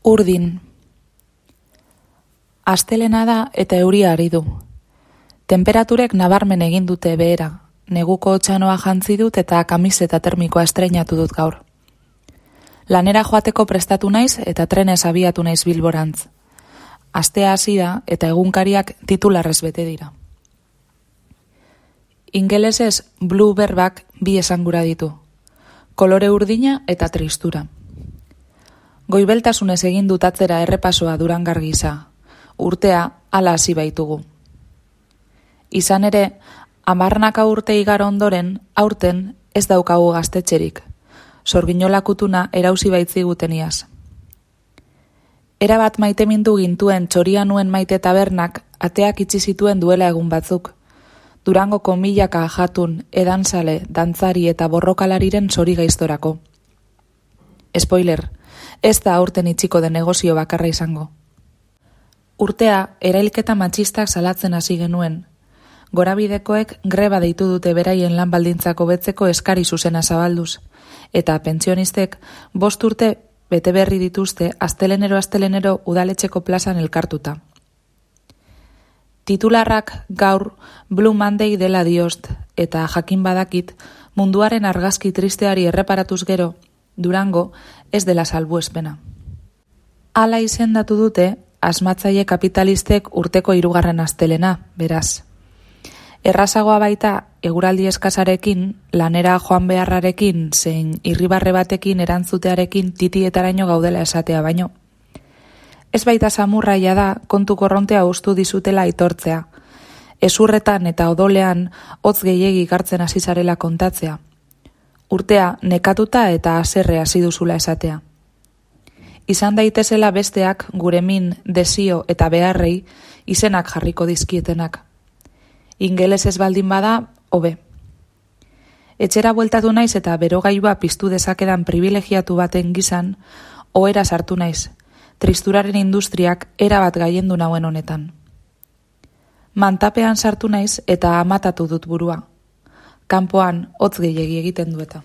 Urdin. Astelena da eta euria ari du. Temperaturek nabarmen egin dute behera. Neguko txanoa jantzi dut eta kamiseta termikoa estreinatu dut gaur. Lanera joateko prestatu naiz eta trenez abiatu naiz Bilborantz. Astea hasi da eta egunkariak titularrez bete dira. Ingelesez blue berbak bi esangura ditu. Kolore urdina eta tristura. Goibeltasunez egin dut atzera errepasoa Durangar gisa. Urtea hala hasi baitugu. Izan ere, 10 urte igaro ondoren, aurten ez daukagu gaztetxerik. Sorginola kutuna erauzi baitziguten iaz. Erabat maitemindu gintuen Txoria nuen maite tabernak ateak itxi zituen duela egun batzuk. Durangoko milaka jatun, edanzale, dantzari eta borrokalariren zori gaiztorako. Spoiler, ez da aurten itxiko den negozio bakarra izango. Urtea, erailketa matxistak salatzen hasi genuen. Gorabidekoek greba deitu dute beraien lan baldintzak hobetzeko eskari zuzena zabalduz, eta pentsionistek 5 urte bete berri dituzte astelenero udaletxeko plazan elkartuta. Titularrak gaur Blue Monday dela diost, eta jakin badakit munduaren argazki tristeari erreparatuz gero, Durango ez dela salbuespena. Hala izendatu dute asmatzaile kapitalistek urteko 3. astelena, beraz. Errazagoa baita eguraldi eskasarekin, lanera joan beharrarekin, zein irribarre batekin erantzutearekin titietaraino gaudela esatea baino. Ez baita samurraia da kontu korrontea ustu dizutela aitortzea. Ezurretan eta odolean hotz gehiegi gartzen hasi zarela kontatzea. Urtea nekatuta eta haserre hasi duzula esatea. Izan daitezela besteak gure min, desio eta beharrei izenak jarriko dizkietenak. Ingelesez baldin bada, hobe. Etxera bueltatu naiz eta berogailua piztu dezakedan privilegiatu baten gizan, ohera sartu naiz, tristuraren industriak erabat gaiendu nauen honetan. Mantapean sartu naiz eta amatatu dut burua. Kanpoan hotz gehiegi egiten du eta.